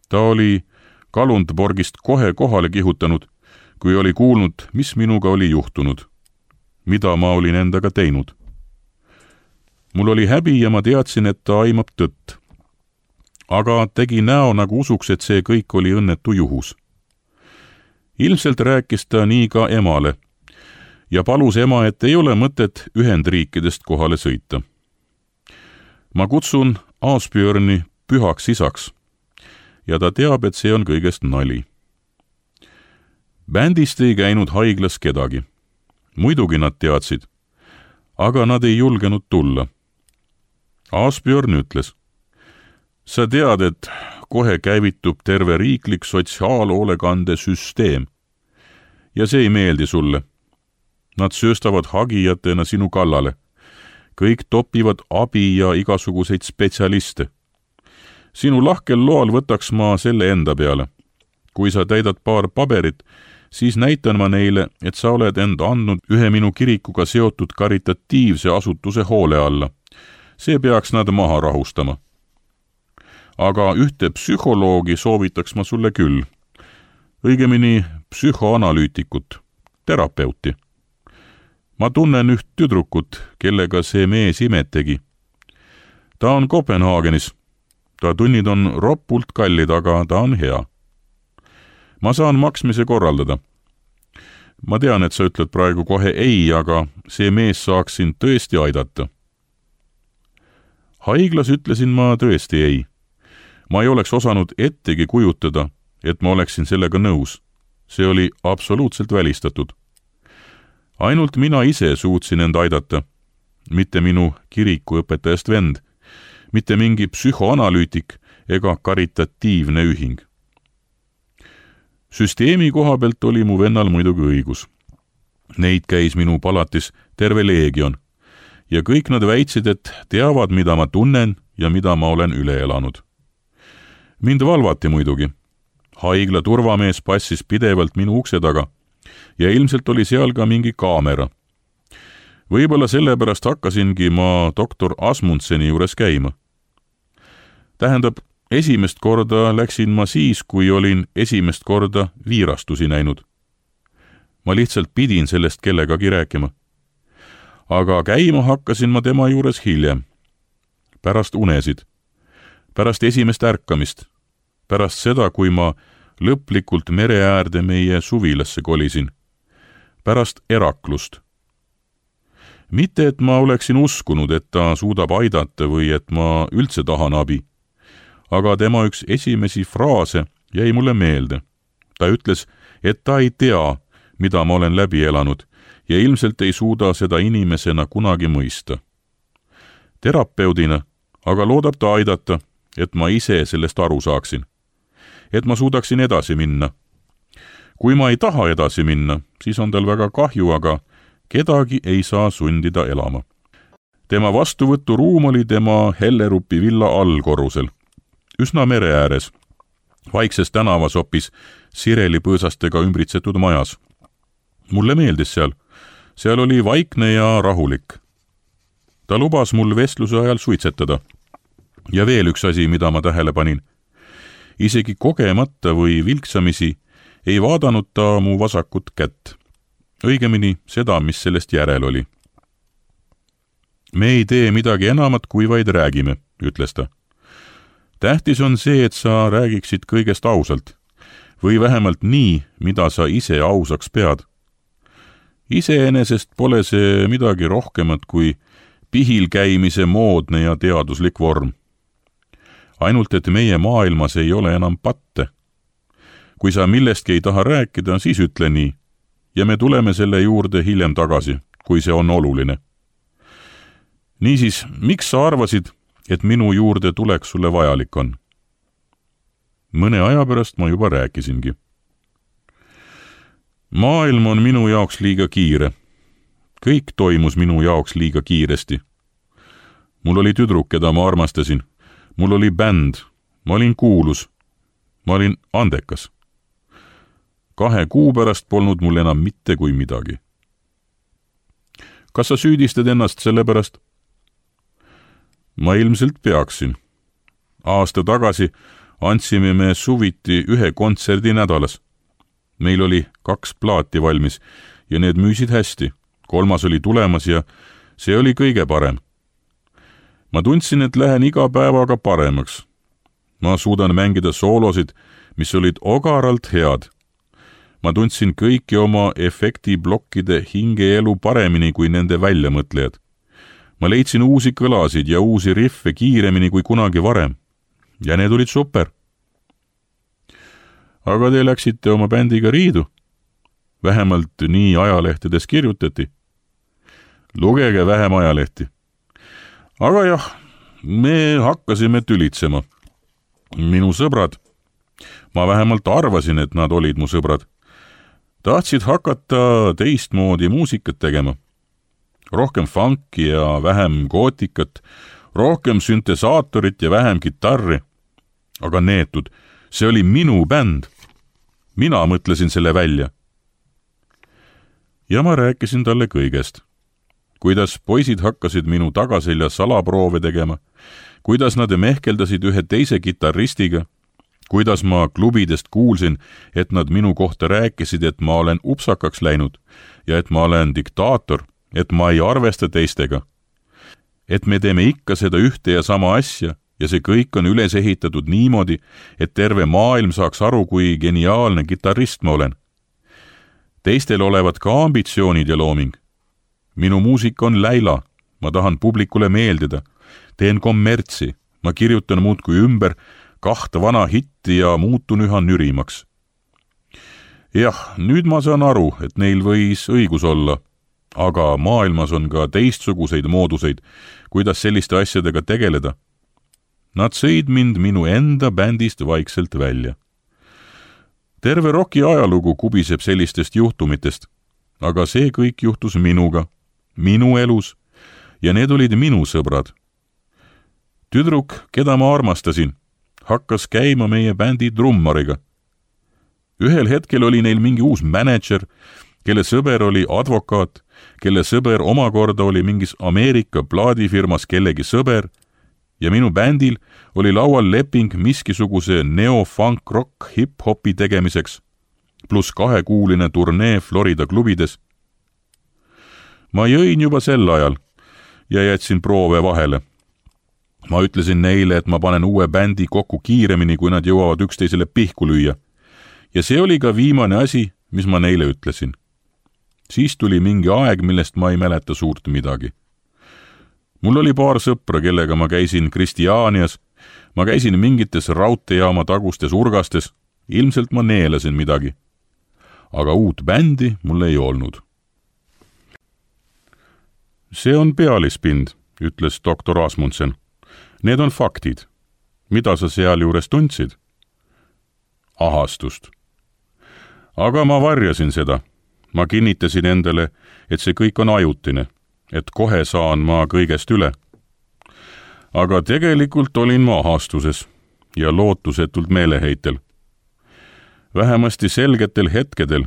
Ta oli Kalundborgist kohe kohale kihutanud, kui oli kuulnud, mis minuga oli juhtunud, mida ma olin endaga teinud. Mul oli häbi ja ma teadsin, et ta aimab tõtt. Aga tegi näo nagu usuks, et see kõik oli õnnetu juhus. Ilmselt rääkis ta nii ka emale ja palus ema, et ei ole mõtet Ühendriikidest kohale sõita. Ma kutsun Asbjörni pühaks isaks ja ta teab, et see on kõigest nali. Bändist ei käinud haiglas kedagi. Muidugi nad teadsid, aga nad ei julgenud tulla. Asbjörn ütles, sa tead, et kohe käivitub terve riiklik sotsiaalhoolekande süsteem ja see ei meeldi sulle. Nad sööstavad hagijatena sinu kallale. Kõik topivad abi ja igasuguseid spetsialiste. Sinu lahkel loal võtaks ma selle enda peale. Kui sa täidad paar paberit, siis näitan ma neile, et sa oled end andnud ühe minu kirikuga seotud karitatiivse asutuse hoole alla. See peaks nad maha rahustama. Aga ühte psühholoogi soovitaks ma sulle küll. Õigemini psühhoanalüütikut, terapeuti. Ma tunnen üht tüdrukut, kellega see mees imet tegi. Ta on Kopenhaagenis. Ta tunnid on roppult kallid, aga ta on hea. Ma saan maksmise korraldada. Ma tean, et sa ütled praegu kohe ei, aga see mees saaks sind tõesti aidata. Haiglas ütlesin ma tõesti ei. Ma ei oleks osanud ettegi kujutada, et ma oleksin sellega nõus. See oli absoluutselt välistatud. Ainult mina ise suutsin end aidata, mitte minu kirikuõpetajast vend, mitte mingi psühhoanalüütik ega karitatiivne ühing. Süsteemi koha pealt oli mu vennal muidugi õigus. Neid käis minu palatis terve leegion ja kõik nad väitsid, et teavad, mida ma tunnen ja mida ma olen üle elanud. Mind valvati muidugi. Haigla turvamees passis pidevalt minu ukse taga ja ilmselt oli seal ka mingi kaamera. Võib-olla sellepärast hakkasingi ma doktor Asmundseni juures käima. Tähendab, esimest korda läksin ma siis, kui olin esimest korda viirastusi näinud. Ma lihtsalt pidin sellest kellegagi rääkima. Aga käima hakkasin ma tema juures hiljem. Pärast unesid. Pärast esimest ärkamist. Pärast seda, kui ma lõplikult mere äärde meie suvilasse kolisin. Pärast eraklust. Mitte, et ma oleksin uskunud, et ta suudab aidata või et ma üldse tahan abi. Aga tema üks esimesi fraase jäi mulle meelde. Ta ütles, et ta ei tea, mida ma olen läbi elanud ja ilmselt ei suuda seda inimesena kunagi mõista. Terapeudina aga loodab ta aidata, et ma ise sellest aru saaksin. Et ma suudaksin edasi minna. Kui ma ei taha edasi minna, siis on tal väga kahju, aga kedagi ei saa sundida elama. tema vastuvõturuum oli tema Hellerupi villa allkorrusel, üsna mere ääres, vaikses tänavas hoopis sirelipõõsastega ümbritsetud majas. Mulle meeldis seal, seal oli vaikne ja rahulik. Ta lubas mul vestluse ajal suitsetada. Ja veel üks asi, mida ma tähele panin. Isegi kogemata või vilksamisi ei vaadanud ta mu vasakut kätt. Õigemini seda, mis sellest järel oli. Me ei tee midagi enamat, kui vaid räägime, ütles ta. Tähtis on see, et sa räägiksid kõigest ausalt, või vähemalt nii, mida sa ise ausaks pead. Iseenesest pole see midagi rohkemat kui pihil käimise moodne ja teaduslik vorm. Ainult, et meie maailmas ei ole enam patte. Kui sa millestki ei taha rääkida, siis ütle nii, ja me tuleme selle juurde hiljem tagasi, kui see on oluline. Niisiis, miks sa arvasid, et minu juurde tuleks sulle vajalik on? Mõne aja pärast ma juba rääkisingi. Maailm on minu jaoks liiga kiire. Kõik toimus minu jaoks liiga kiiresti. Mul oli tüdruk, keda ma armastasin. Mul oli bänd. Ma olin kuulus. Ma olin andekas. Kahe kuu pärast polnud mul enam mitte kui midagi. Kas sa süüdistad ennast selle pärast? Ma ilmselt peaksin. Aasta tagasi andsime me suviti ühe kontserdi nädalas. Meil oli kaks plaati valmis ja need müüsid hästi. Kolmas oli tulemas ja see oli kõige parem. Ma tundsin, et lähen iga päevaga paremaks. Ma suudan mängida soolosid, mis olid ogaralt head. Ma tundsin kõiki oma efektiblokkide hingeelu paremini kui nende väljamõtlejad. Ma leidsin uusi kõlasid ja uusi riffe kiiremini kui kunagi varem. Ja need olid super. Aga te läksite oma bändiga riidu. Vähemalt nii ajalehtedes kirjutati. Lugege vähem ajalehti. Aga jah, me hakkasime tülitsema. Minu sõbrad, ma vähemalt arvasin, et nad olid mu sõbrad, tahtsid hakata teistmoodi muusikat tegema. Rohkem funki ja vähem gootikat, rohkem syntesaatorit ja vähem kitarri. Aga neetud, see oli minu bänd. Mina mõtlesin selle välja. Ja ma rääkisin talle kõigest. Kuidas poisid hakkasid minu tagaselja salaproove tegema, kuidas nad mehkeldasid ühe teise kitarristiga, kuidas ma klubidest kuulsin, et nad minu kohta rääkisid, et ma olen upsakaks läinud ja et ma olen diktaator, et ma ei arvesta teistega. Et me teeme ikka seda ühte ja sama asja ja see kõik on üles ehitatud niimoodi, et terve maailm saaks aru, kui geniaalne kitarrist ma olen. Teistel olevat ka ambitsioonid ja looming. Minu muusika on läila, ma tahan publikule meeldida, teen kommertsi, ma kirjutan muudkui ümber kahta vana hitti ja muutun üha nürimaks. Jah, nüüd ma saan aru, et neil võis õigus olla, aga maailmas on ka teistsuguseid mooduseid, kuidas selliste asjadega tegeleda. Nad sõid mind minu enda bändist vaikselt välja. Terve roki ajalugu kubiseb sellistest juhtumitest, aga see kõik juhtus minuga, minu elus, ja need olid minu sõbrad. Tüdruk, keda ma armastasin, hakkas käima meie bändi trummariga. Ühel hetkel oli neil mingi uus mänedžer, kelle sõber oli advokaat, kelle sõber omakorda oli mingis Ameerika plaadifirmas kellegi sõber, ja minu bändil oli laual leping miskisuguse neo-funk-rock hip-hopi tegemiseks, pluss kahekuuline turnee Florida klubides. Ma jõin juba sel ajal ja jätsin proove vahele. Ma ütlesin neile, et ma panen uue bändi kokku kiiremini, kui nad jõuavad üksteisele pihku lüüa. Ja see oli ka viimane asi, mis ma neile ütlesin. Siis tuli mingi aeg, millest ma ei mäleta suurt midagi. Mul oli paar sõpra, kellega ma käisin Kristianias, ma käisin mingites raudteejaama tagustes urgastes, ilmselt ma neelasin midagi. Aga uut bändi mul ei olnud. See on pealispind, ütles doktor Asmundsen. Need on faktid. Mida sa seal juures tundsid? Ahastust. Aga ma varjasin seda. Ma kinnitasin endale, et see kõik on ajutine. et kohe saan ma kõigest üle. Aga tegelikult olin ma ahastuses ja lootusetult meeleheitel. Vähemasti selgetel hetkedel,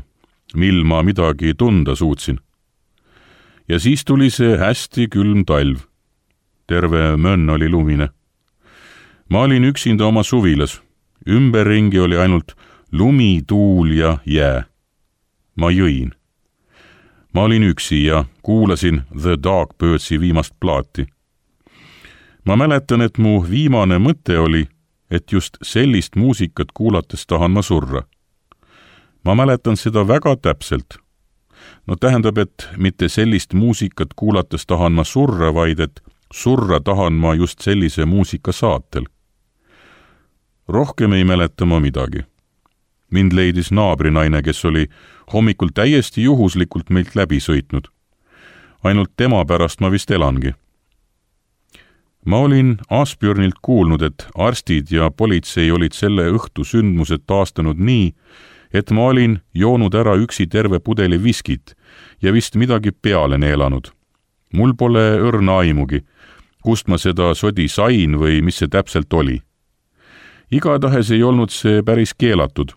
mil ma midagi tunda suutsin. Ja siis tuli see hästi külm talv. Terve mönn oli lumine. Ma olin üksinda oma suvilas. Ümberringi oli ainult lumi, tuul ja jää. Ma jõin. Ma olin üksi ja kuulasin The Dogbirdsi viimast plaati. Ma mäletan, et mu viimane mõte oli, et just sellist muusikat kuulates tahan ma surra. Ma mäletan seda väga täpselt. No tähendab, et mitte sellist muusikat kuulates tahan ma surra, vaid et surra tahan ma just sellise muusika saatel. Rohkem ei mäleta ma midagi. Mind leidis naabrinaine, kes oli hommikul täiesti juhuslikult meilt läbi sõitnud. Ainult tema pärast ma vist elangi. Ma olin Asbjörnilt kuulnud, et arstid ja politsei olid selle õhtu sündmused taastanud nii, et ma olin joonud ära üksi terve pudeli viskit ja vist midagi peale neelanud. Mul pole õrna aimugi, kust ma seda sodi sain või mis see täpselt oli. Igatahes ei olnud see päris keelatud,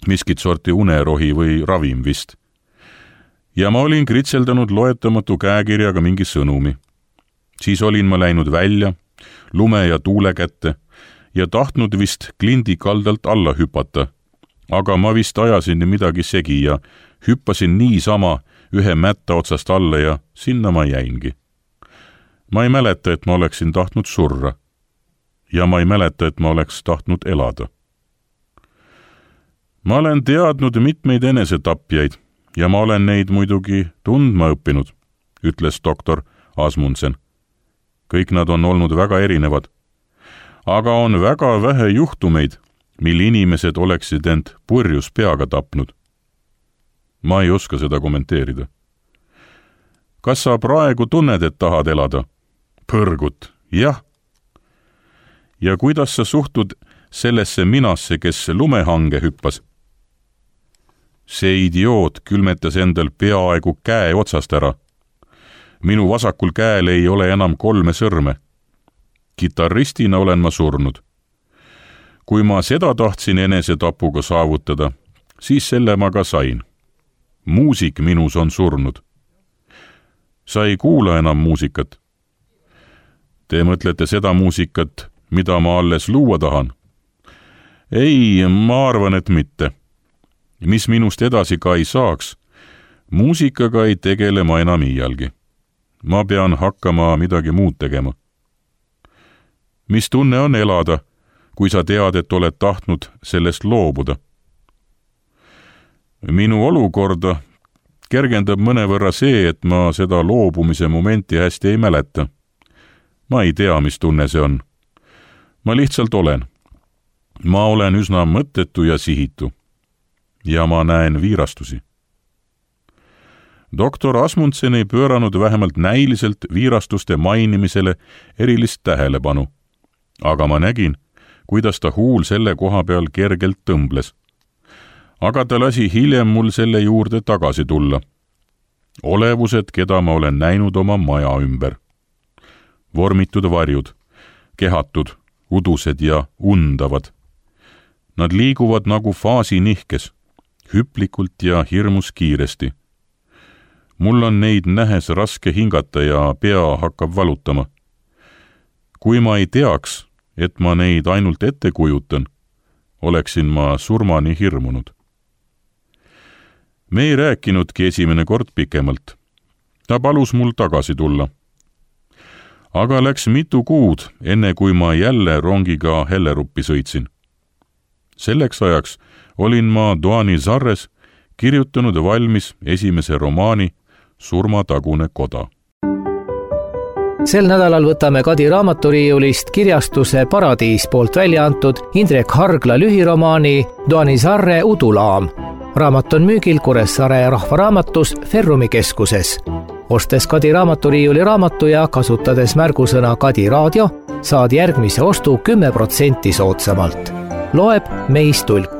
miskit sorti unerohi või ravim vist. Ja ma olin kritseldanud loetamatu käekirjaga mingi sõnumi. Siis olin ma läinud välja, lume ja tuule kätte ja tahtnud vist klindi kaldalt alla hüpata, aga ma vist ajasin midagi segi ja hüppasin niisama ühe mätta otsast alla ja sinna ma jäingi. Ma ei mäleta, et ma oleksin tahtnud surra ja ma ei mäleta, et ma oleks tahtnud elada. Ma olen teadnud mitmeid enesetapjaid ja ma olen neid muidugi tundma õppinud, ütles doktor Asmundsen. Kõik nad on olnud väga erinevad, aga on väga vähe juhtumeid, mil inimesed oleksid end purjus peaga tapnud. Ma ei oska seda kommenteerida. Kas sa praegu tunned, et tahad elada? Põrgut, jah. Ja kuidas sa suhtud sellesse minasse, kes lumehange hüppas? See idioot külmetas endal peaaegu käe otsast ära. Minu vasakul käel ei ole enam kolme sõrme. Kitarristina olen ma surnud. Kui ma seda tahtsin enesetapuga saavutada, siis selle ma ka sain. Muusik minus on surnud. Sa ei kuula enam muusikat. Te mõtlete seda muusikat, mida ma alles luua tahan? Ei, ma arvan, et mitte. Mis minust edasi ka ei saaks, muusikaga ei tegele ma enam iialgi. Ma pean hakkama midagi muud tegema. Mis tunne on elada, kui sa tead, et oled tahtnud sellest loobuda? Minu olukorda kergendab mõnevõrra see, et ma seda loobumise momenti hästi ei mäleta. Ma ei tea, mis tunne see on. Ma lihtsalt olen. Ma olen üsna mõttetu ja sihitu. Ja ma näen viirastusi. Doktor Asmundsen ei pööranud vähemalt näiliselt viirastuste mainimisele erilist tähelepanu, aga ma nägin, kuidas ta huul selle koha peal kergelt tõmbles. Aga ta lasi hiljem mul selle juurde tagasi tulla. Olevused, keda ma olen näinud oma maja ümber. Vormitud varjud, kehatud, udused ja undavad. Nad liiguvad nagu faasi nihkes, hüplikult ja hirmus kiiresti. Mul on neid nähes raske hingata ja pea hakkab valutama. Kui ma ei teaks, et ma neid ainult ette kujutan, oleksin ma surmani hirmunud. Me ei rääkinudki esimene kord pikemalt. Ta palus mul tagasi tulla. Aga läks mitu kuud, enne kui ma jälle rongiga Helleruppi sõitsin. Selleks ajaks olin ma Doanizarres kirjutanud valmis esimese romaani Surmatagune koda. Sel nädalal võtame Kadi raamaturiiulist kirjastuse Paradiis poolt välja antud Indrek Hargla lühiromaani Doanizarre udulaam. Raamat on müügil Kuressaare rahvaraamatus Ferrumi keskuses. Ostes Kadi raamaturiiuli raamatu ja kasutades märgusõna Kadi raadio, saad järgmise ostu kümme protsenti soodsamalt. Loeb Meis Tulk.